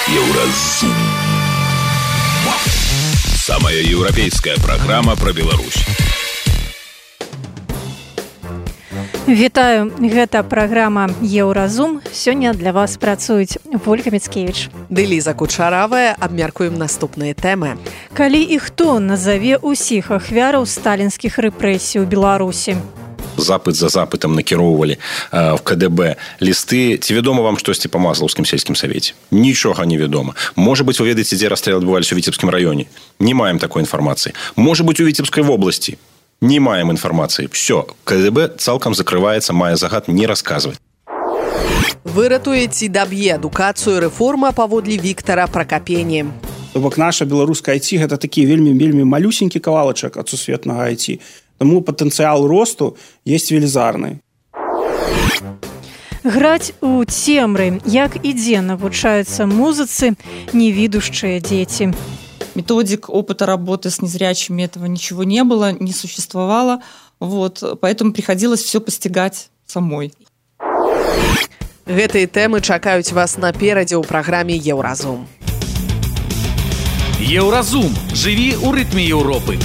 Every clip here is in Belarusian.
Еўразум. Самая еўрапейская программа про Беларусь. Вітаю, гэта праграма «Еўразум». Сёння для вас працуюць Вольга Міцкевіч ды Ліза Кучаравая. Абмяркуем наступныя тэмы. Калі і хто назаве ўсіх ахвяраў сталінскіх рэпрэсій у Беларусі? Запыт за запытам накіроўвалі в КДБ лісты. Ці вядома вам штосьці па Мазлаўскім сельскім савеце? Нічога не вядома. Можа быць, вы ведаеце, дзе расстрэлы адбываліся ў Віцебскім раёне? Не маем такой інфармацыі. Можа быць, у Віцебскай вобласці? Не маем інфармацыі. Все, КДБ цалкам закрываецца, мае загад не расказваць. Выратуе ці даб'е адукацыю рэформа паводле Віктара Пракапені. То бок наша беларуская IT гэта такі вельмі малюсенькі кавалачак ад сусветнага IT. Таму патэнцыял росту есть велізарны. Граць у цемры, як і дзе навучаюцца музыцы невідушчыя дзеці. Методик опыта работы с незрячими этого ничего не было, не существовало. Поэтому приходилось все постигать самой. Гэтыя тэмы чакаюць вас наперадзе ў праграме «Еўразум». Еўразум. Жыві ў рытме Еўропы.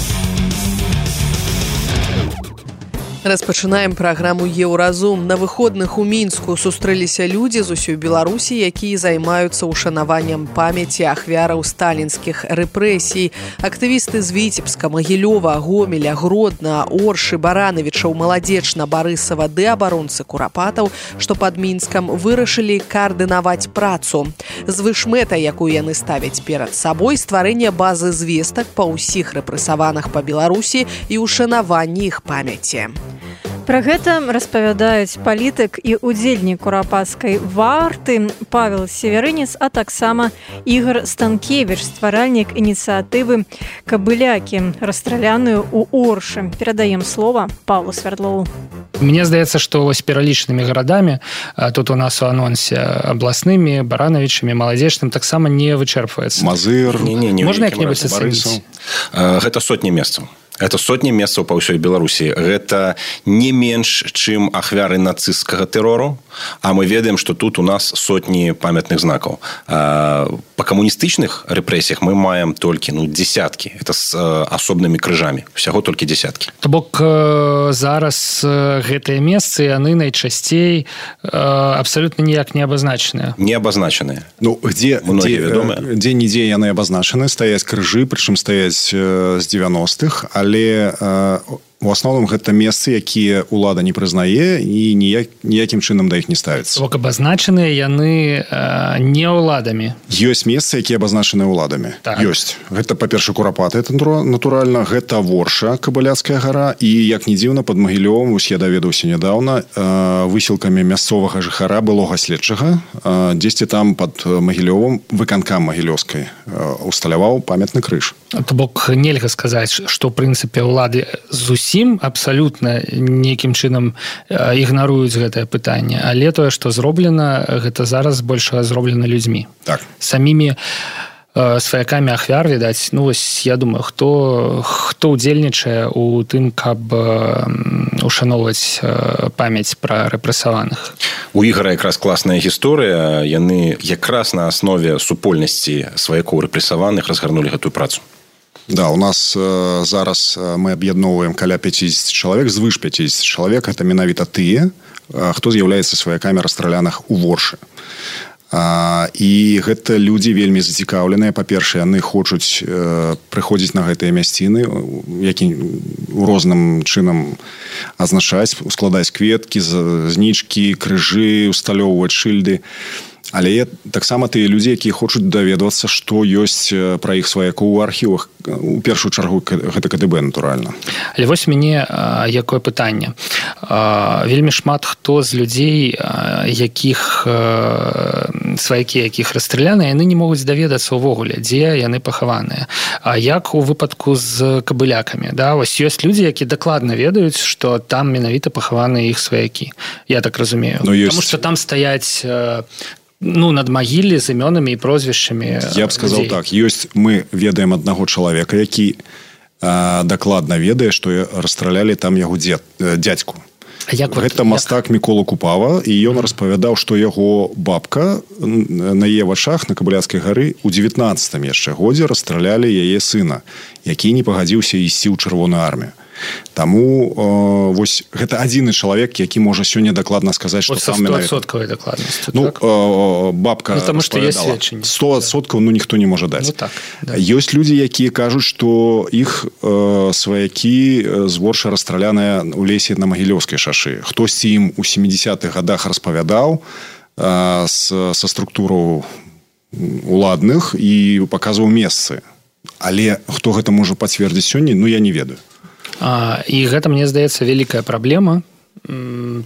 Распачынаем праграму «Еўразум». На выходных у Мінску сустрэліся людзі з усёй Беларусі, якія займаюцца ушанаваннем памяці ахвяраў сталінскіх рэпрэсій. Актывісты з Віцебска, Магілёва, Гомеля, Гродна, Оршы, Баранавічаў, Маладзечна, Барысава ды абаронцы Курапатаў, што пад Мінскам вырашылі каардынаваць працу. Звышмэта, якую яны ставяць перад сабой, стварэнне базы звестак па ўсіх рэпрэсаваных па Беларусі і ушанаванні іх памяці. Пра гэта распавядаюць палітык і ўдзельнік курапацкай варты Павел Северынец, а таксама Ігор Станкевіч, стваральнік ініцыятывы «Кабылякі», расстраляную ў Оршы. Перадаем слова Павлу Свярдлову. Мне здаецца, што вось пералічанымі гарадамі, тут у нас у анонсе абласнымі, Баранавічамі, Маладзечным, таксама не вычэрпваецца. Мазыр. Можна як-небудзь ацаніць? Гэта сотні месцаў. Это сотні месцаў па ўсёй Беларусі. Гэта не менш, чым ахвяры нацысцкага тэрору, а мы ведаем, што тут у нас сотні памятных знакаў. Па камуністычных рэпрэсіях мы маем толькі дзесяткі. Это з асобнымі крыжамі. Усяго толькі дзесяткі. То бок зараз гэтыя месцы, яны найчасцей абсалютна ніяк не абазначаныя. Не абазначаныя. Дзе-нідзе яны абазначаны, стаяць крыжы, прычым стаяць з 90-х, але у асноўным гэта месцы, якія ўлада не прызнае і ніякім чынам да іх не ставіцца. Бок абазначаныя яны не ўладамі. Ёсць месцы, якія абазначаны ўладамі. Так. Ёсць. Гэта, па-перша, Курапаты, натуральна, гэта Ворша, Кабыляцкая гара, і, як не дзіўна, пад Магілёвам, я даведаўся нядаўна, высілкамі мясцовага жыхара, былога следчага, дзесьці там пад Магілёвам выканкам магілёўскай усталяваў памятны крыж. То бок нельга сказаць, што, ў прынцыпе, ўлады зусім абсалютна нейкім чынам ігнаруюць гэтае пытанне, але тое, што зроблена, гэта зараз большага зроблена людзьмі. Так. Самімі сваякамі ахвяр, відаць, я думаю, хто ўдзельнічае у тым, каб ушаноўваць памяць пра рэпрэсаваных. У Ігара якраз класная гісторыя. Яны якраз на аснове супольнасці сваякоў рэпрэсаваных разгарнулі гэтую працу. Да, у нас зараз мы аб'ядноўваем каля 50 чалавек, звыш 50 чалавек. Это менавіта тыя, хто з'яўляецца сваякамі расстраляных у Воршы. І гэта людзі вельмі зацікаўленыя. Па-першае, яны хочуць прыходзіць на гэтыя мясціны, які у розным чынам азначаць, складаць кветкі, знічкі, крыжы, усталёўваць шыльды. Але таксама тыя людзі, якія хочуць даведвацца, што ёсць пра іх сваякоў у архівах, у першую чаргу гэта КДБ, натуральна. Але вось мяне якое пытанне. Вельмі шмат хто з людзей, якіх сваякі, якіх расстраляны, яны не могуць даведацца ўвогуле, дзе яны пахаваныя. А як у выпадку з кабылякамі? Вось ёсць людзі, якія дакладна ведаюць, што там менавіта пахаваныя іх сваякі. Я так разумею. Таму што там стаяць над магіллі з імёнамі і прозвішчамі. Я б сказаў так. Мы ведаем аднаго чалавека, які дакладна ведае, што расстралялі там яго дзядзьку. Гэта мастак Мікола Купава, і ён распавядаў, што яго бабка на яе вачах на Кабыляцкай гары ў 19-м яшчэ годзе расстралялі яе сына, які не пагадзіўся ісці ў Чырвоную армію. Таму вось гэта адзіны чалавек, які можа сёння дакладна сказаць, што сам менавіта. 100% дакладнасцю, так? Бабка распавядала. 100% ніхто не можа даць. Так, да. Ёсць людзі, якія кажуць, што іх сваякі зборша расстраляныя ў лесе на Магілёўскай шашы. Хтосьці ім у 70-х гадах распавядаў са структураў уладных і паказваў месцы. Але хто гэта можа пацвердзіць сёння, я не ведаю. І гэта, мне здаецца, вялікая праблема,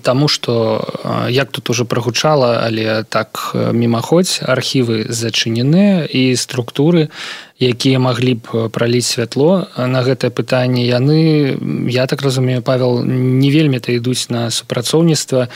таму што, як тут уже прагучала, але так мімаходзь, архівы зачыненыя і структуры, якія маглі б праліць святло на гэтае пытанне, яны, я так разумею, Павел, не вельмі-то ідуць на супрацоўніцтва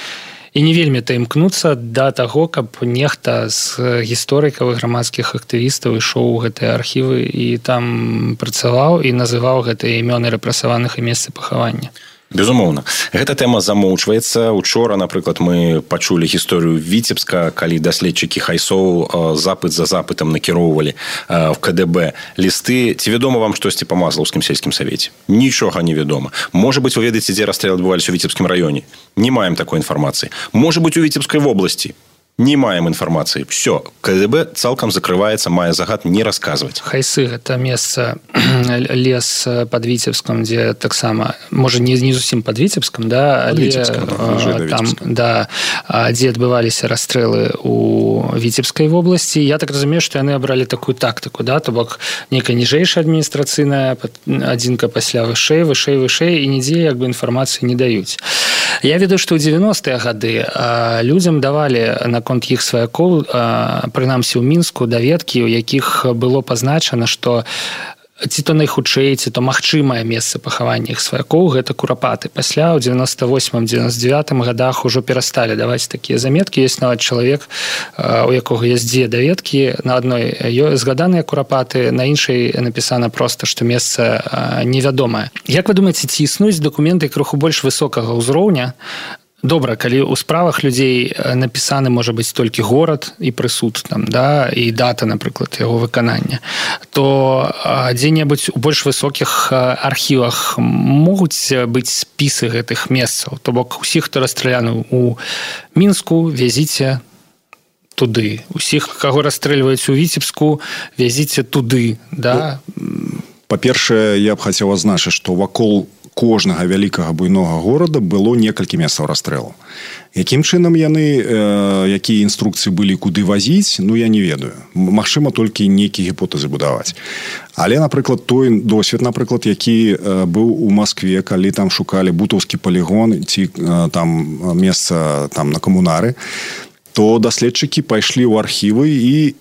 і не вельмі-то імкнуцца да таго, каб нехта з гісторыкаў і грамадскіх актывістаў ішоў у гэтыя архівы і там працаваў і называў гэтыя імёны рэпрэсаваных і месцы пахавання. Безумоўна. Гэта тэма замоўчваецца. Учора, напрыклад, мы пачулі гісторыю Віцебска, калі даследчыкі Хайсоў запыт за запытам накіроўвалі в КДБ лісты. Ці вядома вам штосьці па Маслаўскім сельскім савеце? Нічога не вядома. Можа быць, вы ведаеце, дзе расстрэлы адбываліся ў Віцебскім раёне? Не маем такой інфармацыі. Можа быць, у Віцебскай вобласці? Не маем інфармацыі. Все, КДБ цалкам закрываецца, мае загад не расказваць. Хайсы – гэта месца, лес пад Віцебском, дзе таксама, можа, не зусім пад Віцебском, да, але там, да, дзе адбываліся расстрэлы у Віцебскай вобласці. Я так разумею, што яны абралі такую тактыку, да, то бок нейкая ніжэйшая адміністрацыйная адзінка пасля вышэй, і нідзе як бы інфармацыі не даюць. Я ведаю, што ў 90-е гады людзям давалі наконт іх сваякоў, прынамсі ў Мінску, даведкі, у якіх было пазначана, што ці то найхутчэй, ці то магчымае месца пахавання іх сваякоў, гэта Курапаты. Пасля ў 98-99 гадах ужо перасталі даваць такія заметкі. Ёсць нават чалавек, у якога ёсць дзве даведкі. На адной згаданыя Курапаты, на іншай напісана проста, што месца невядомае. Як вы думаеце, ці існуюць дакументы крыху больш высокага ўзроўня? Добра, калі ў справах людзей напісаны, можа быць, толькі горад і прысуд, там, да, і дата, напрыклад, яго выканання, то дзе-небудзь у больш высокіх архівах могуць быць спісы гэтых месцаў. То бок, усіх, хто расстраляны ў Мінску, вязіце туды. Усіх, каго расстрэльваюць у Віцебску, вязіце туды, да? Па-першае, я б хацеў адзначыць, што вакол кожнага вялікага буйнога горада было некалькі месцаў расстрэлу. Якім чынам яны, якія інструкцыі былі, куды вазіць, я не ведаю. Магчыма, толькі нейкія гіпотэзы будаваць. Але, напрыклад, той досвед, напрыклад, які быў у Маскве, калі там шукалі бутаўскі палігон ці там месца там на камунары, то даследчыкі пайшлі ў архівы і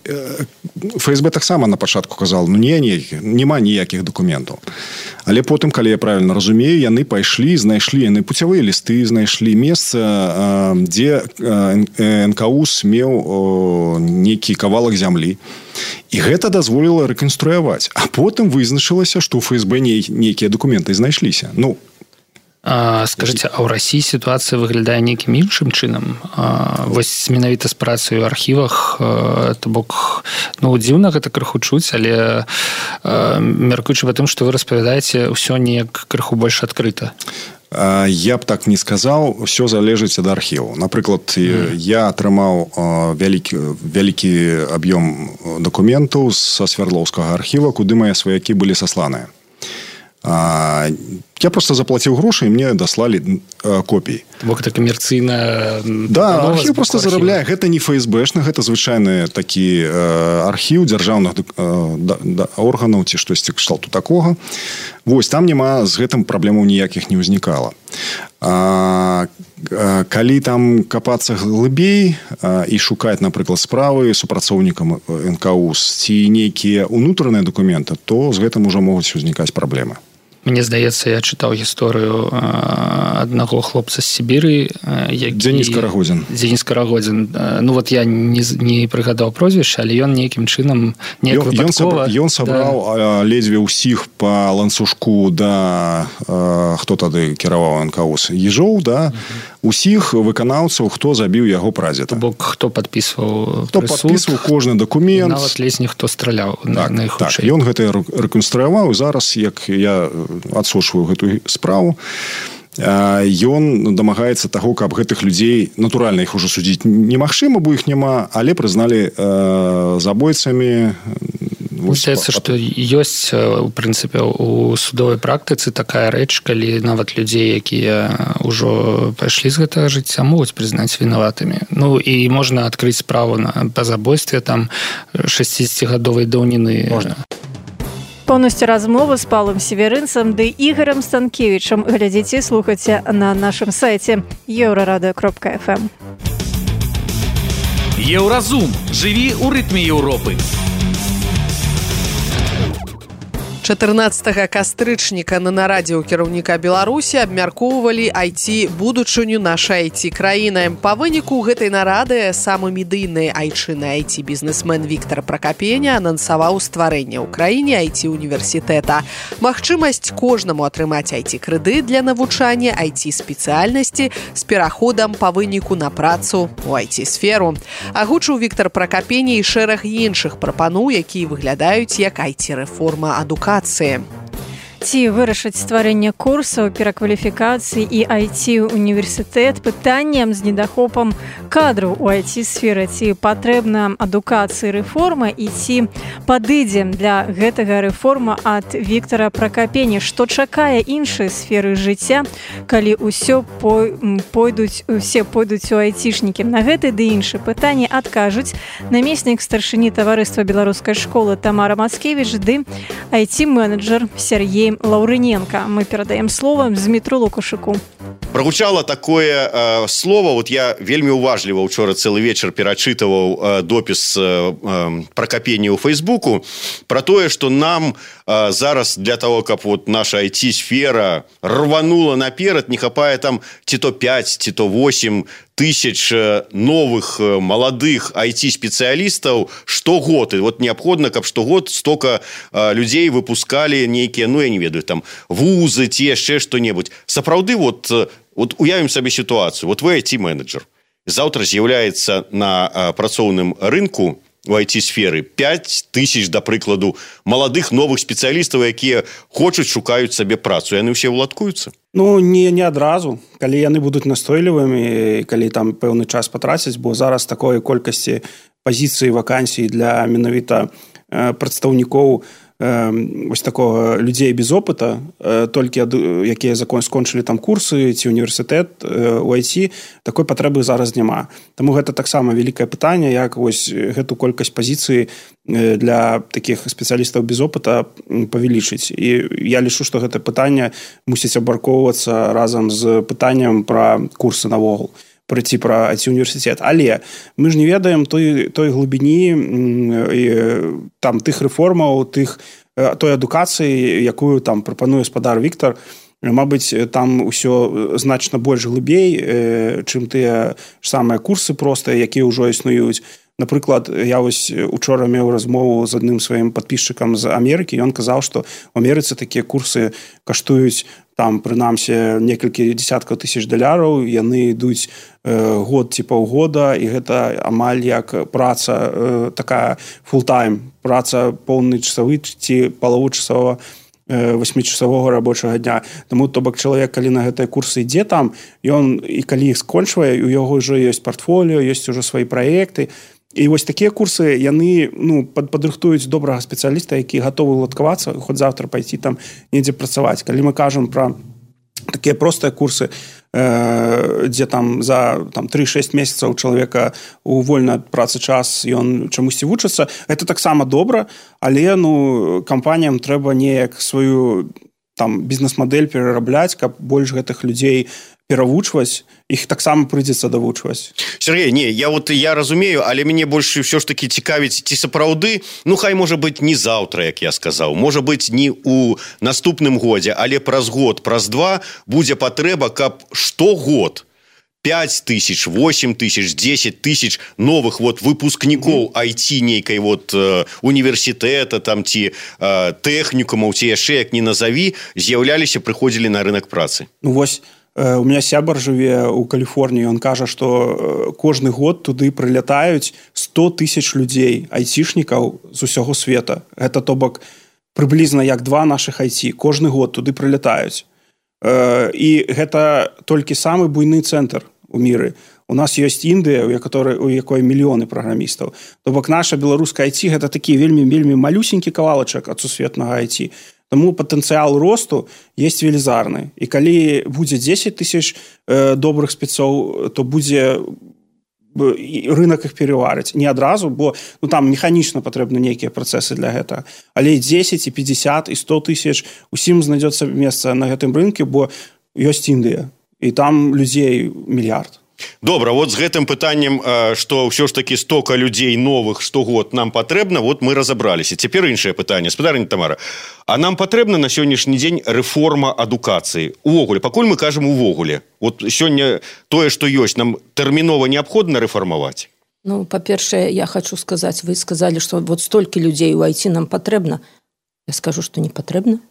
ФСБ таксама на пачатку казал, няма ніякіх дакументаў. Але потым, калі я правільна разумею, яны пайшлі, знайшлі, яны пуцявыя лісты, знайшлі месца, дзе НКУС меў нейкі кавалак зямлі. І гэта дазволіла рэканструяваць. А потым вызначылася, што ў ФСБ нейкія дакументы знайшліся. Скажыце, а ў Расіі сітуацыя выглядае нейкім іншым чынам? Вось менавіта з працай у архівах, то бок, дзіўна гэта крыху чуць, але мяркуючы па тым, што вы распавядаеце, ўсё неяк крыху больш адкрыта. Я б так не сказаў, усё залежыць ад архіву. Напрыклад, я атрымаў вялікі аб'ём дакументаў са Свярдлоўскага архіва, куды мае сваякі былі сасланыя. Я просто заплаціў грошы, і мне даслалі копіі. Бок это камерцыйна... Да, архіў просто зарабляе. Гэта не ФСБшны, гэта звычайны такі архіў дзяржаўных органаў ці штосьці кшталту такога. Вось, там няма з гэтым праблемаў ніякіх не ўзнікала. Калі там капацца глыбей і шукаць, напрыклад, справы супрацоўнікам НКУС ці нейкія ўнутраныя дакументы, то з гэтым ужо могуць узнікаць праблемы. Мне здаецца, я чытаў гісторыю аднаго хлопца з Сібіры, Дзеніс Карагодзін. Дзеніс Карагодзін. Ну вот я не прыгадаў прозвішча, але ён нейкім чынам Ён сабраў ледзьве ўсіх па ланцужку хто тады кіраваў НКУС? Ежоў, усіх выканаўцаў, хто забіў яго прадзеда. Бок хто падпісваў кожны дакумент. Нават ледзь ніхто страляў найхутчэй. Ён гэта рэканструяваў, і зараз, як я адсочваю гэтую справу, ён дамагаецца таго, каб гэтых людзей, натуральна, іх ужо судзіць немагчыма, бо іх няма, але прызналі забойцамі. Здаецца, што ёсць, у прынцыпе, у судовай практыцы такая рэч, калі нават людзей, якія ўжо пайшлі з гэтага жыцця, могуць прызнаць вінаватымі. Ну, і можна адкрыць справу па забойстве там 60-гадовай даўніны. Можна. Поўнасцю размову з Паўлам Северынцам ды Ігорам Станкевічам глядзіце і слухайце на нашым сайце euraradio.fm. Еўразум. Жыві ў рытме Еўропы. 14 кастрычніка на нарадзе ў кіраўніка Беларусі абмяркоўвалі IT-будучыню нашай IT-краіны. Па выніку гэтай нарады самы медыйны айчынны IT-бізнесмен Віктор Пракапеня анансаваў стварэнне ў краіне IT-універсітэта. Магчымасць кожнаму атрымаць IT-крэдыт для навучання IT-спецыяльнасці з пераходам па выніку на працу ў IT-сферу. Агучыў Віктор Пракапеня і шэраг іншых прапаноў, якія выглядаюць як IT-рэформа адукацыі. Ці вырашыць стварэнне курсаў, перакваліфікацыі і IT-універсітэт пытаннем з недахопам кадраў у IT-сферы, ці патрэбна адукацыі рэформа і ці падыдзе для гэтага рэформа ад Віктора Пракапеня, што чакае іншыя сферы жыцця, калі усе пойдуць у айцішнікі. На гэты ды іншыя пытанні адкажуць намеснік старшыні таварыства беларускай школы Тамара Мацкевіч ды IT-менеджер Сергей Лаўрыненко. Мы перадаем слово Змітру Лукашыку. Прагучала такое слово, вот я вельмі уважліва учора цэлы вечар перачытываў допіс Пракапення ў Фейсбуку про тое, што нам зараз для того, каб вот наша IT-сфера рванула наперад, не хапае там ці то 5, ці то 8 тысяч новых маладых IT-спецыялістаў штогод. І вот неабходна, каб штогод столько людзей выпускалі нейкія, ну я не ведаю, там вузы ці яшчэ што-небудзь. Сапраўды, вот уявім сабе сітуацыю. Вот вы IT-менеджер. Заўтра з'яўляецца на працоўным рынку у IT-сферы 5 тысяч, да прыкладу, маладых новых спецыялістаў, якія хочуць, шукаюць сабе працу. Яны ўсе ўладкуюцца? Ну, не адразу. Калі яны будуць настойлівымі, калі там пэўны час патраціць, бо зараз такой колькасці пазіцыі, вакансій для менавіта прадстаўнікоў вось такого людзей без опыта, толькі якія скончылі там курсы ці універсітэт у IT, такой патрэбы зараз няма. Таму гэта таксама вялікае пытанне, як вось гэту колькасць пазіцыі для такіх спецыялістаў без опыта павялічыць. І я лічу, што гэта пытанне мусіць абмяркоўвацца разам з пытанням пра курсы навогул, прыйти пра IT-універсітэт. Але мы ж не ведаем той глыбіні там тых рэформаў, той адукацыі, якую там прапануе спадар Віктор. Мабыць, там усё значна больш глыбей, чым тыя ж самыя курсы простыя, якія ўжо існуюць. Напрыклад, я вось учора меў размову з адным сваім падпісчыкам з Амерыкі, і ён казаў, што ў Амерыцы такія курсы каштуюць там, прынамсі, некалькі десяткаў тысяч $, яны ідуць год ці паўгода, і гэта амаль як праца такая фултайм, праца поўны часовы ці палавучасовага 8-часового рабочага дня. Таму, то бок, чалавек, калі на гэтыя курсы ідзе там, ён, і калі іх скончвае, у яго ўжо ёсць партфоліо, ёсць ужо свае праекты. І вось такія курсы, яны падрыхтуюць добрага спецыяліста, які гатовы уладкавацца, хоць завтра пайти там недзе працаваць. Калі мы кажам пра такія простыя курсы, дзе там за 3-6 месяцаў чалавека у вольны ад працы час ён чамусьці вучыцца, гэта таксама добра, але кампаніям трэба неяк сваю там бізнес-мадэль перарабляць, каб больш гэтых людзей перавучваць, іх таксама прыйдзецца давучваць. Сергей, не, я разумею, але мяне больш ўсё ж такі цікавіць, ці сапраўды, хай можа быць не заўтра, як я сказаў, можа быць не ў наступным годзе, але праз год, праз два будзе патрэба, каб штогод 5 тысяч, 8 тысяч, 10 тысяч новых выпускнікоў IT нейкай універсітэта там ці тэхнікумаў, ці яшчэ як не назаві, з'яўляліся, прыходзілі на рынок працы. Вось, у меня сябар жыве ў Каліфорніі, ён кажа, што кожны год туды прылятаюць 100 тысяч людзей, айцішнікаў з усяго света. Гэта, то бок, прыблізна як 2 нашых IT. Кожны год туды прылятаюць. І гэта толькі самы буйны цэнтр у міры. У нас ёсць Індыя, у якой мільёны праграмістаў. То бок, наша беларуская IT гэта такі вельмі малюсенькі кавалачак ад сусветнага IT. Таму патэнцыял росту есть велізарны. І калі будзе 10 тысяч добрых спецоў, то будзе рынок іх пераварыць. Не адразу, бо там механічна патрэбны нейкія працэсы для гэтага. Але і 10, і 50, і 100 тысяч усім знайдецца месца на гэтым рынке, бо ёсць Індыя. І там людзей мільярд. Добра, з гэтым пытаннем, што ўсё ж такі стока людзей новых штогод нам патрэбна, мы разабраліся. Цяпер іншае пытанне. Спадарня Тамара, а нам патрэбна на сённяшні дзень рэформа адукацыі? Увогуле, пакуль мы кажам увогуле. Сёння тое, што ёсць, нам тэрмінова неабходна рэфармаваць? Па-першае, я хочу сказаць, вы сказалі, што столькі людзей у IT нам патрэбна. Я скажу, што не патрэбна.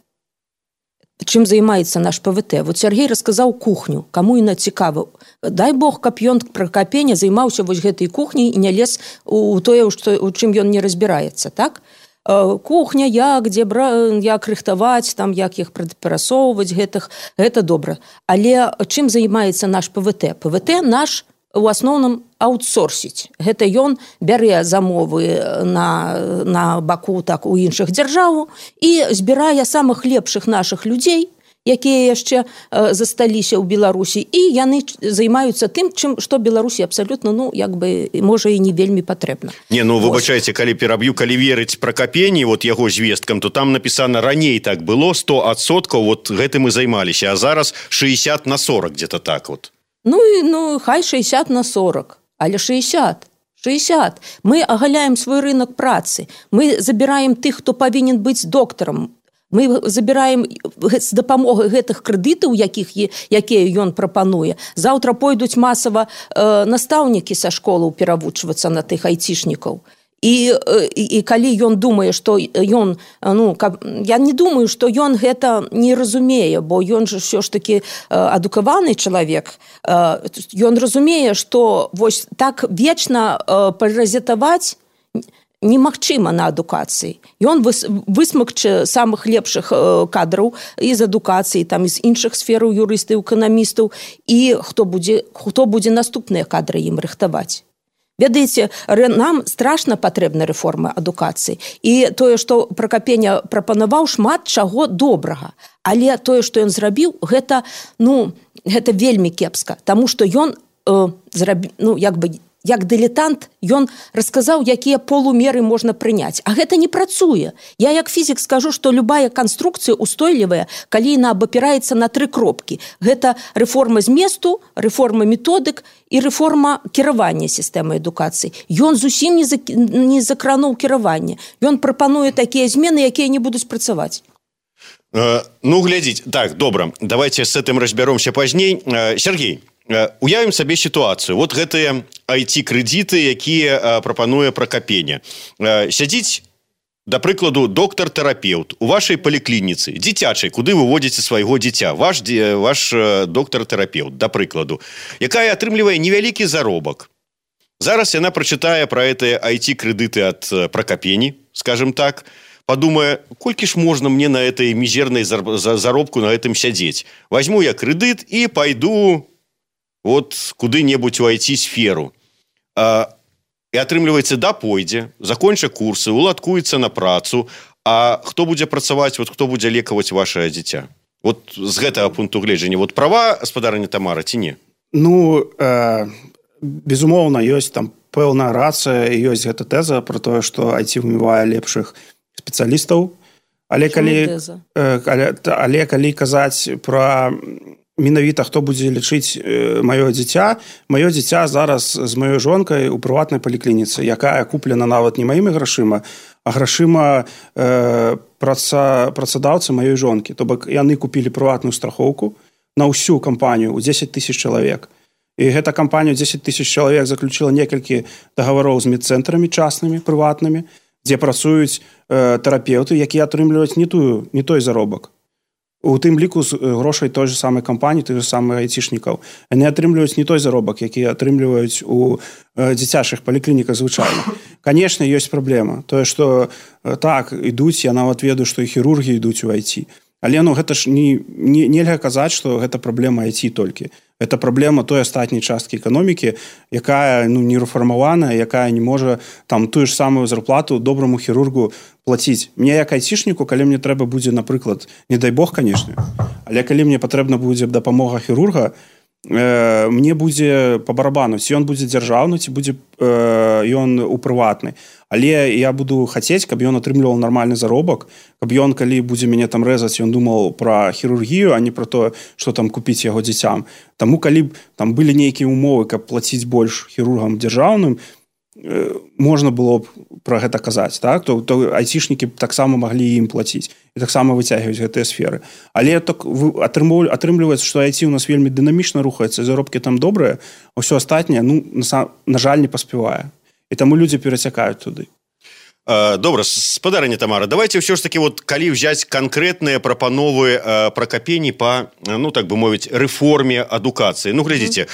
Чым займаецца наш ПВТ? Сергей расказаў кухню, каму яна цікава. Дай Бог, каб ён Пракапеня займаўся гэтай кухняй і не лез у тое, у чым ён не разбіраецца, так? Кухня, як рыхтаваць, як іх перасоўваць, гэта добра. Але чым займаецца наш ПВТ? ПВТ наш у асноўным аутсорсіць. Гэта ён бярэ замовы на баку у іншых дзяржаву і збірае самых лепшых нашых людзей, якія яшчэ засталіся ў Беларусі, і яны займаюцца тым, што Беларусі абсалютна, можа, і не вельмі патрэбна. Выбачайце, калі пераб'ю, калі верыць Пракапені, яго звесткам, то там напісана, раней так было, 100%, гэтым і займаліся, а зараз 60/40, где-то так . Хай 60/40, але 60. Мы агаляем свой рынок працы. Мы забіраем тых, хто павінен быць доктарам. Мы забіраем з дапамогай гэтых крэдытаў, якія ён прапануе. Заўтра пойдуць масава настаўнікі са школаў перавучвацца на тых айцішнікаў. І калі ён думае, што ён, я не думаю, што ён гэта не разумее, бо ён же ўсё ж такі адукаваны чалавек. Ён разумее, што так вечна паразітаваць немагчыма на адукацыі. Ён высмакче самых лепшых кадраў з адукацыі, з іншых сфераў, юрыстаў, эканамістаў, і хто будзе наступныя кадры ім рыхтаваць. Ведаеце, нам страшна патрэбна рэформа адукацыі. І тое, што Пракапеня прапанаваў, шмат чаго добрага. Але тое, што ён зрабіў, гэта вельмі кепска. Таму што ён як дылетант, ён расказаў, якія полумеры можна прыняць. А гэта не працуе. Я як фізік скажу, што любая канструкцыя устойлівая, калі яна абапіраецца на 3 кропкі. Гэта рэформа зместу, рэформа методык і рэформа кіравання сістэмы адукацыі. Ён зусім не закрануў кіраванне. Ён прапануе такія змены, якія не будуць працаваць. Глядзіць. Так, добра. Давайте с этим разбяромся пазней. Сергей, уявім сабе сітуацыю. Гэтыя IT-крэдыты, якія прапануе Пракапеня. Сядзіць, да прыкладу, доктар-тэрапеўт у вашай паліклініцы, дзіцячай, куды вы водзіце свайго дзіця, ваш доктар-тэрапеўт, да прыкладу, якая атрымлівае невялікі заробак. Зараз яна прачытае пра гэтыя IT-крэдыты ад Пракапені, скажем так, подумае, колькі ж можна мне на этой мізернай заробку на гэтым сядзець. Возьму я крэдыт і пайду куды-небудзь у IT-сферу. І атрымліваецца, пойдзе, законча курсы, уладкуецца на працу, а хто будзе працаваць, хто будзе лекаваць ваше дзіця? З гэтага пункту гледжання. Права, спадарня Тамара, ці не? Безумоўна, ёсць там пэўная рацыя, ёсць гэта тэза пра тое, што IT вымывае лепшых спецыялістаў. Але калі казаць пра менавіта хто будзе лічыць маё дзіця зараз з маёй жонкай у прыватнай паліклініцы, якая куплена нават не маімі грашыма, а грашыма працадаўцы маёй жонкі. То бок яны купілі прыватную страхоўку на ўсю кампанію ў 10 000 чалавек. І гэта кампанія 10 000 чалавек заключила некалькі дагаwaroў з медцэнтрамі частнымі, прыватнымі, дзе працуюць тэрапеўты, якія атрымліваюць не той заробак. У тым ліку з грошай той же самай кампаніі, той же самых айцішнікаў. Яны атрымліваюць не той заробак, які атрымліваюць у дзіцячых паліклініках звычайна. Канешне, ёсць праблема. Тое, што так, ідуць, я нават ведаю, што і хірургі ідуць у IT. Але гэта ж нельга казаць, што гэта праблема IT толькі. Гэта праблема той астатняй часткі эканомікі, якая не рэфармаваная, якая не можа там тую ж самую зарплату добраму хірургу плаціць. Мне як айцішніку, калі мне трэба будзе, напрыклад, не дай Бог, канешне, але калі мне патрэбна будзе дапамога хірурга, мне будзе па барабану, ці ён будзе дзяржаўны, ці будзе ён у прыватны. Але я буду хацець, каб ён атрымліваў нармальны заробак, каб ён, калі будзе мяне там рэзаць, ён думаў пра хірургію, а не пра тое, што там купіць яго дзіцям. Таму, калі б там былі нейкія умовы, каб плаціць больш хірургам дзяржаўным, можна было б пра гэта казаць, так? То айцішнікі таксама маглі ім плаціць і таксама выцягваць гэтыя сферы. Але так атрымліваецца, што IT у нас вельмі дынамічна рухаецца, заробкі там добрыя, а ўсё астатняе, на жаль, не паспявае. І таму людзі перацякаюць туды. Добра, спадарыня Тамара, давайте ўсё ж таки, калі ўзяць канкрэтныя прапановы Пракапені па, так бы мовіць, рэформе адукацыі. Глядзіце,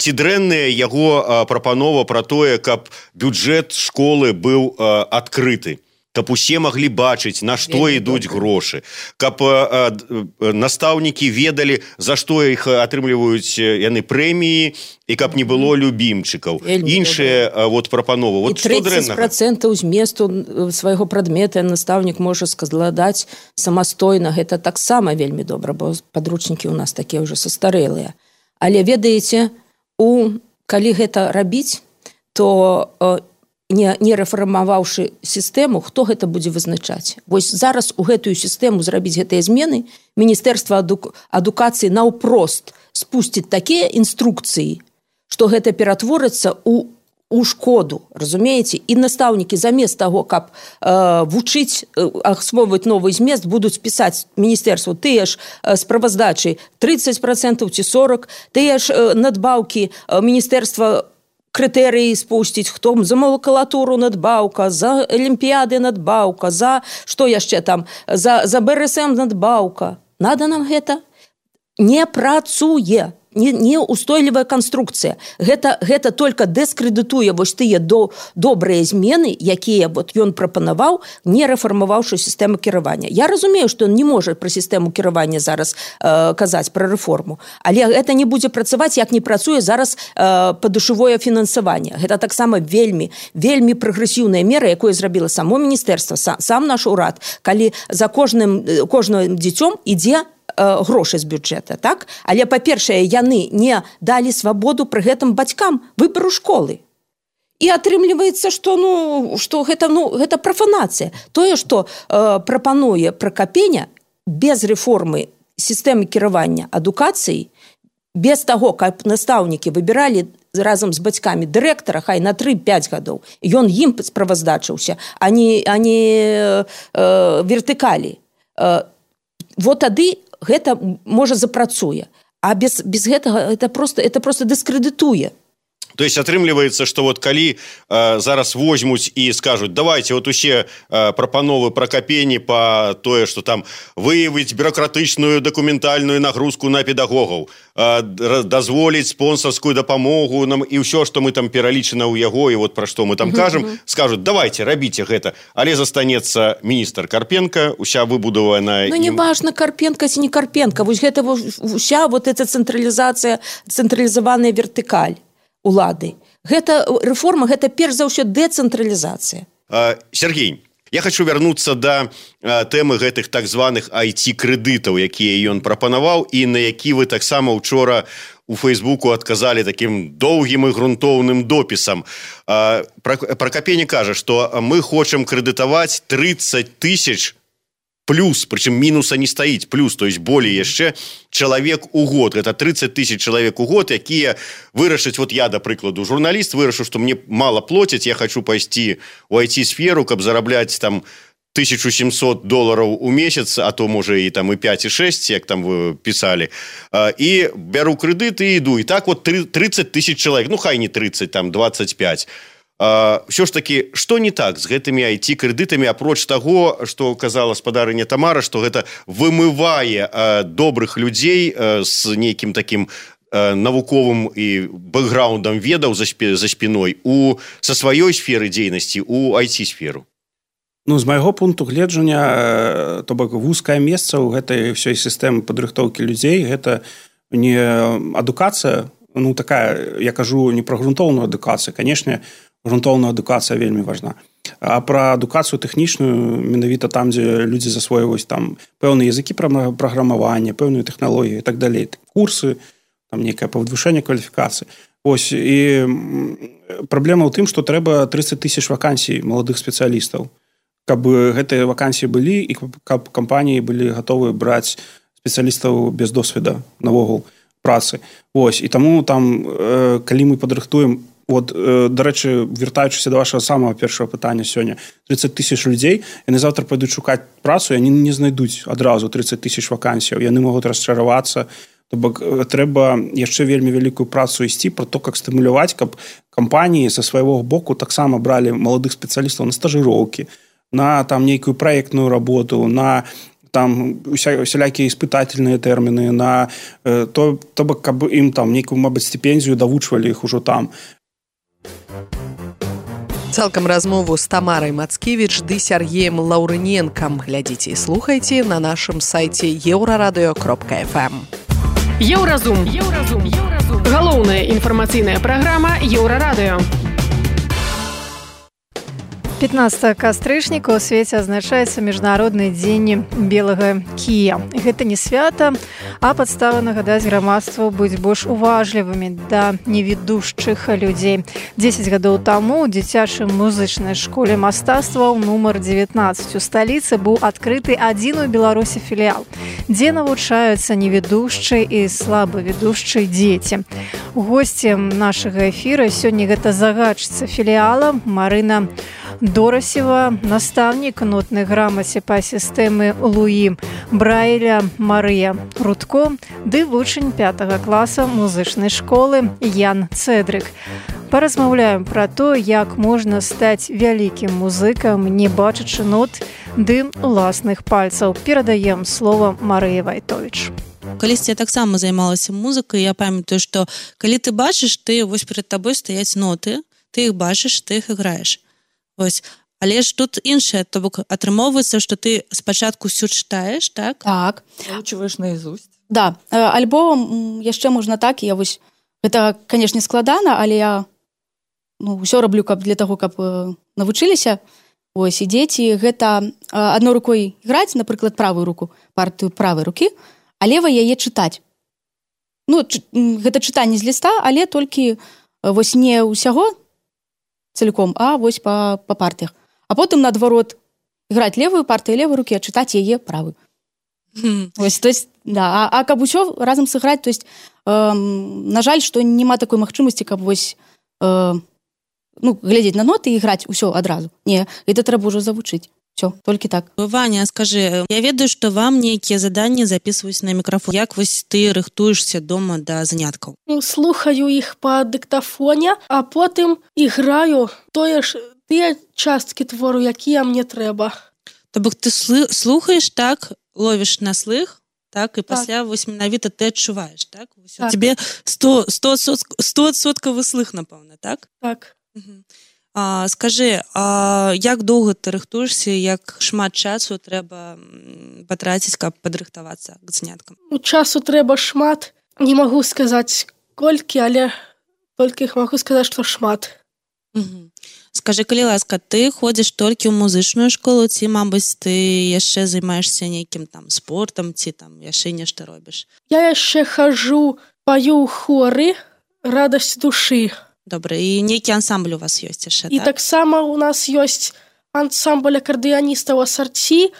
ці дрэнная яго прапанова пра тое, каб бюджэт школы быў адкрыты, каб усе маглі бачыць, на што ідуць грошы, каб настаўнікі ведалі, за што іх атрымліваюць яны прэміі, і каб не было любімчыкаў. Іншыя прапановы. І 30% зместу свайго прадмета настаўнік можа складаць самастойна. Гэта таксама вельмі добра, бо падручнікі ў нас такія ўжо састарэлыя. Але ведаеце, калі гэта рабіць, то не рэфармаваўшы сістэму, хто гэта будзе вызначаць? Вось зараз у гэтую сістэму зрабіць гэтыя змены, Міністэрства адукацыі наўпрост спусціць такія інструкцыі, што гэта ператворыцца у шкоду, разумееце? І настаўнікі замест таго, каб вучыць, ахвойваць новы змест, будуць пісаць міністэрству тыя ж справаздачы 30% ці 40%, тыя ж надбаўкі міністэрства крытэрыі спусціць, хто за макулатуру надбаўка, за алімпіяды надбаўка, за што яшчэ там, за БРСМ надбаўка. Надо нам гэта? Не працуе. Не устойлівая канструкцыя. Гэта толькі дыскрэдытуе вось тыя добрыя змены, якія ён прапанаваў, не рэфармаваўшы сістэму кіравання. Я разумею, што ён не можа пра сістэму кіравання зараз казаць пра рэформу, але гэта не будзе працаваць, як не працуе зараз падушевое фінансаванне. Гэта таксама вельмі прагрэсіўная мера, якую зрабіла само міністэрства, сам наш урад, калі за кожным дзіцём ідзе грошы з бюджэта, так? Але, па-першае, яны не далі свабоду пры гэтым бацькам выбару школы. І атрымліваецца, што гэта прафанацыя. Тое, што прапануе Пракапеня без рэформы сістэмы кіравання адукацыі, без таго, каб настаўнікі выбіралі разам з бацькамі дырэктара, хай на 3-5 гадоў, ён ім справаздачыўся, а не вертыкалі. Тады гэта можа запрацуе, а без гэтага это просто дыскрэдытуе. То есть атрымліваецца, што калі зараз возьмуць і скажуць, давайте усе прапановы Пракапені па тое, што там выявіць бюрократычную дакументальную нагрузку на педагогаў, дазволіць спонсарскую дапамогу нам і ўсё, што мы там пералічана ў яго, і пра што мы там кажам, скажуць, давайте, рабіце гэта. Але застанецца міністр Карпенка, уся выбудаваная... не важна, Карпенка ці не Карпенка, вось гэта уся эта цэнтралізацыя, цэнтралізаваная вертыкаль улады. Гэта рэформа, гэта перш за ўсё дэцэнтралізацыя. Сергей, я хочу вярнуцца да тэмы гэтых так званых IT-крэдытаў, якія ён прапанаваў, і на які вы таксама учора у Фейсбуку адказалі такім доўгім і грунтоўным допісам. Пракапені кажа, што мы хочам крэдытаваць 30 000 плюс, причем минуса не стоит, плюс, то есть более яшчэ человек у год, это 30 тысяч человек у год, якія вырашаць, вот я, до прикладу, журналист, вырашыў, что мне мало платят, я хочу пойти у IT-сферу, каб зарабляць там $1700 у месяц, а то, може, і там і 5, і 6, як там вы писали, і беру кредит і іду. І так вот 30 тысяч человек, ну, хай не 30, там 25. Все ж таки, что не так с гэтымі IT-кредитами, апроч того, что казала спадарыня Тамара, что гэта вымывае добрых людей с нейкім таким навуковым і бэкграундам ведаў за спиной со сваёй сферы дзейнасці у IT-сферу? Ну, з майго пункту гледжання, то бок вузкае месца ў гэтай ўсёй сістэмы падрыхтоўкі людзей, гэта не адукацыя, ну, такая, я кажу, не пра грунтоўную адукацыю, канешне, грунтоўная адукацыя вельмі важна, а пра адукацыю тэхнічную, менавіта там, дзе людзі засвойваюць там пэўныя языкі праграмавання, пэўныя тэхналогіі і так далей, курсы, там нейкае павышэнне кваліфікацыі. Ось, і праблема ў тым, што трэба 30 тысяч вакансій маладых спецыялістаў, каб гэтыя вакансіі былі і каб кампаніі былі гатовы браць спецыялістаў без досведа навогул працы. Ось, і таму там, калі мы падрыхтуем, вот, дарэчы, вяртаючыся да вашага самага першага пытання сёння, 30 тысяч людзей, яны заўтра пойдуць шукаць працу, яны не знайдуць адразу 30 тысяч вакансіяў, яны могуць расчаравацца. То бок трэба яшчэ вельмі вялікую працу ісці пра то, как стымуляваць, каб кампаніі са свайго боку таксама бралі маладых спецыялістаў на стажыроўкі, на там нейкую праектную работу, на там усялякія испытательныя тэрміны, на то бок, каб ім там нейкую, мабыць, стипендзію давучвалі іх ужо там. Цалкам размову з Тамарай Мацкевіч ды Сергеем Лаўрыненкам глядзіце і слухайце на нашым сайце euraradыё.fm. Еўразум. Галоўная інфармацыйная праграма Еўрарадыё. 15 кастрычніка ў свеце азначаецца міжнародны дзень белага кія. Гэта не свята, а падстава нагадаць грамадству быць больш уважлівымі да невідушчых людзей. 10 гадоў таму ў дзіцячай музычнай школе мастацтваў нумар 19 у сталіцы быў адкрыты адзін у Беларусі філіял, дзе навучаюцца невідушчыя і слабавідушчыя дзеці. Госцем нашага эфіра сёння гэта загадчыца філіяла Марына Дорасева, настаўнік нотнай грамаце па сістэмы Луі Брайля Марыя Рудко ды вучань 5 класа музычнай школы Ян Цэдрык. Паразмаўляем пра то, як можна стаць вялікім музыкам, не бачачы нот ды уласных пальцаў. Перадаем слова Марыі Вайтовіч. Калісьці я таксама займалася музыкай, я памятаю, што калі ты бачыш, ты вось перад табой стаяць ноты, ты іх бачыш, ты іх іграеш. Ось. Але ж тут іншае, то бок атрымоўваецца, што ты спачатку ўсё чытаеш, так? Так. Заучваеш наизусть. Да, альбо яшчэ можна так, я вось, гэта, канешне, складана, але я ўсё раблю для таго, каб навучыліся. Ось, і дзеці гэта адной рукой іграць, напрыклад, правую руку, партыю правай рукі, а левай яе чытаць. Ну, гэта чытанне з ліста, але толькі вось не ўсяго целиком, а вось па партыях. А потым, наадварот, іграць левую партыю левой рукі, а чытаць яе правую. Вось, то есть, да, а каб усё разам сыграць, то есть, на жаль, што няма такой магчымасці, каб вось, глядзець на ноты і іграць усё адразу. Не, гэта трэба ўжо завучыць. Всё, толькі так. Ваня, скажы, я ведаю, што вам нейкія заданні записваюць на мікрафон. Як вось ты рыхтуешся дома да заняткаў? Слухаю іх па дыктафоне, а потым іграю тыя часткі твору, якія мне трэба. То бок ты слухаеш, так, ловіш на слых, так, і пасля вось менавіта ты адчуваеш, так? У тебе 100% слых, напэўна, так? Так. Скажы, як доўга ты рыхтуешся, як шмат часу трэба патраціць, каб падрыхтавацца к заняткам? Часу трэба шмат. Не магу сказаць колькі, але толькі магу сказаць, што шмат. Скажы, калі ласка, ты ходзіш толькі ў музычную школу, ці, мабыць, ты яшчэ займаешся нейкім там спортам, ці там яшчэ нешта робіш? Я яшчэ хожу, паю ў хоры «Радасць душы». Добра, і нейкі ансамбль у вас ёсць яшчэ, так? І таксама у нас ёсць ансамбль акардыяністаў асарці.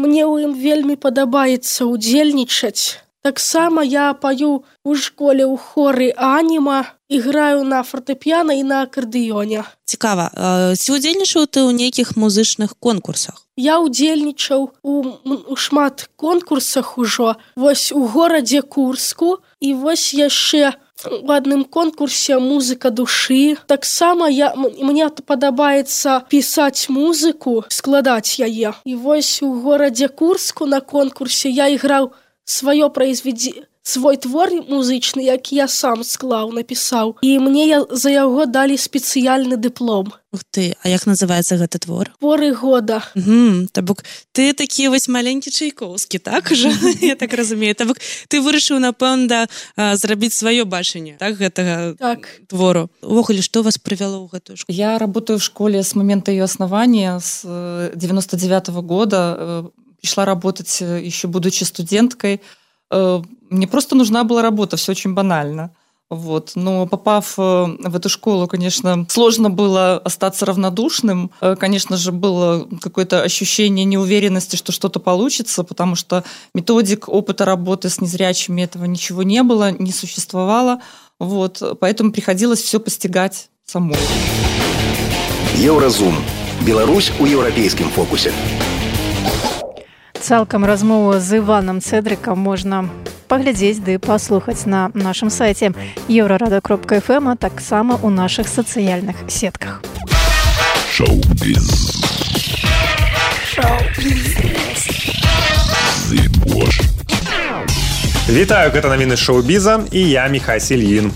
мне ў ім вельмі падабаецца ўдзельнічаць. Таксама я паю ў школе ў хоры аніма, іграю на фартэпіяна і на акардэёне. Цікава, ці ўдзельнічаў ты ў нейкіх музычных конкурсах? Я ўдзельнічаў у шмат конкурсах ужо. Вось у горадзе Курску і вось яшчэ у адным конкурсе «Музыка душы». Таксама мне падабаецца пісаць музыку, складаць яе. І вось у горадзе Курску на конкурсе я іграў свой твор музычны, які я сам склаў, напісаў. І мне за яго далі спецыяльны дыплом. Ух ты, а як называецца гэты твор? Творы года. То бок ты такі вось маленькі Чайковскі, так ужо? Я так разумею. То бок ты вырашыў, напэўна, зрабіць сваё бачанне, так, гэтага твору. Увогуле, што вас прывяло ў гэтую школу? Я работаю в школе с момента ее основания, с 99-го года. Пришла работать еще будучи студенткой. Мне просто нужна была работа, все очень банально. Вот. Но попав в эту школу, конечно, сложно было остаться равнодушным. Конечно же, было какое-то ощущение неуверенности, что что-то получится, потому что методик, опыта работы с незрячими этого ничего не было, не существовало. Вот. Поэтому приходилось все постигать самой. Еўразум. Беларусь у еўрапейскім фокусе. Цалкам размову з Іванам Цэдрыкам можна паглядзець ды паслухаць на нашым сайце eurorado.fm, а таксама ў нашых сацыяльных сетках. Шоу-біз. Вітаю, гэта навіны шоу-біза і я Міхась Ільін.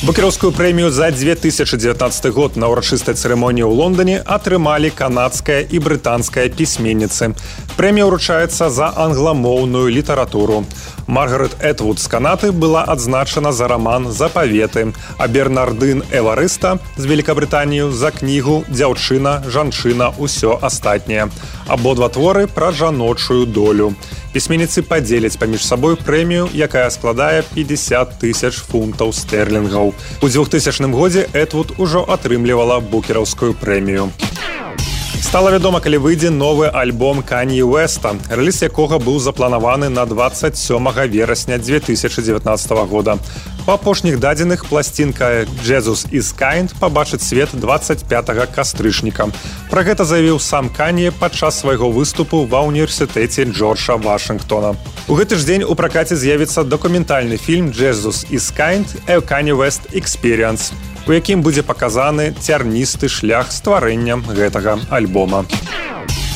Букераўскую прэмію за 2019 год на ўрачыстай цырымоніі ў Лондоне атрымалі канадская і брытанская пісьменніцы. Прэмія ўручаецца за англамоўную літаратуру. Маргарет Этвуд з Канады была адзначана за раман «Запаветы», а Бернардын Эварыста з Великабрытанію за кнігу «Дзяўчына, жанчына, усё астатняе». Абодва творы пра жаночую долю. Пісьменніцы падзеляць паміж сабой прэмію, якая складае 50 000 фунтаў стэрлінгаў. У 2000 годзе Этвуд ужо атрымлівала букераўскую прэмію. Стала вядома, калі выйдзе новы альбом Канье Уэста, рэліз якога быў запланаваны на 27 верасня 2019 года. Па апошніх дадзеных пласцінка «Jesus is Kind» пабачыць свет 25 кастрычніка. Пра гэта заявіў сам Канье падчас свайго выступу ва ўніверсітэце Джорджа Вашынгтона. У гэты ж дзень у пракаце з'явіцца дакументальны фільм «Jesus is Kind – A Kanye West Experience», у якім будзе паказаны цярністы шлях стварэння гэтага альбома.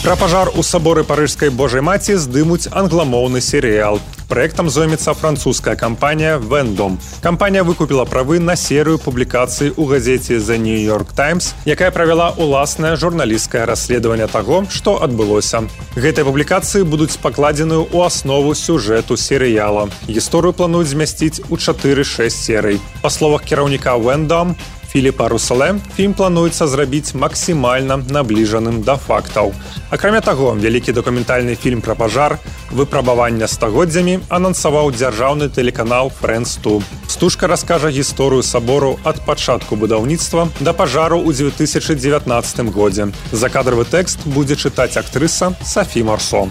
Пра пажар у саборы Парыжскай Божай Маці здымуць англамоўны серыял. Праектам зоймецца французская кампанія «Вендом». Кампанія выкупіла правы на серыю публікацый у газеце «The New York Times», якая правяла ўласнае журналісцкае расследаванне таго, што адбылося. Гэтыя публікацыі будуць пакладзены ў аснову сюжэту серыяла. Гісторыю плануюць змясціць у 4-6 серый. Па словах кіраўніка «Вендом» Філіпа Русале, фільм плануецца зрабіць максімальна набліжаным да фактаў. Акрамя таго, вялікі дакументальны фільм пра пажар «Выпрабавання стагоддзямі» анансаваў дзяржаўны тэлеканал «Фрэнс 2». Стужка раскажа гісторыю сабору ад пачатку будаўніцтва да пажару ў 2019 годзе. Закадравы тэкст будзе чытаць актрыса Сафі Марсо.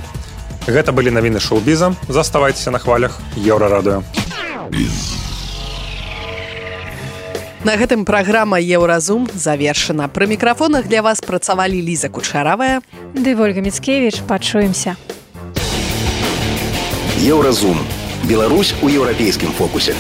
Гэта былі навіны шоу-біза. Заставайцеся на хвалях Еўрарадыё. На гэтым праграма «Еўразум» завершана. Пры мікрафонах для вас працавалі Ліза Кучаравая ды Вольга Міцкевіч. Пачуемся. Еўразум. Беларусь у еўрапейскім фокусе.